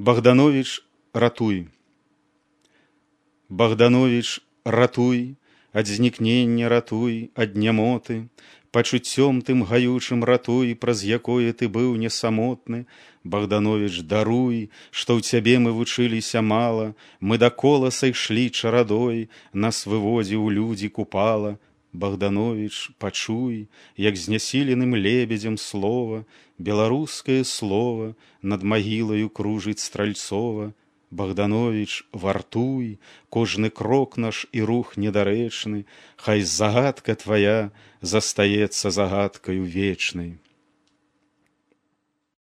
Богданович, ратуй. Богданович, ратуй, ад знікнення ратуй, ад нямоты, пачуццём тым гаючым ратуй, праз якое ты быў не самотны. Богданович, даруй, што ў цябе мы вучыліся мала, мы дакола сайшлі чарадой, нас выводзіў людзі купала. Богданович, пачуй, як знясіленым лебедзем слова, беларускае слова над магілаю кружыць Стральцова. Богданович, вартуй, кожны крок наш і рух недарэчны, хай загадка твая застаецца загадкаю вечнай.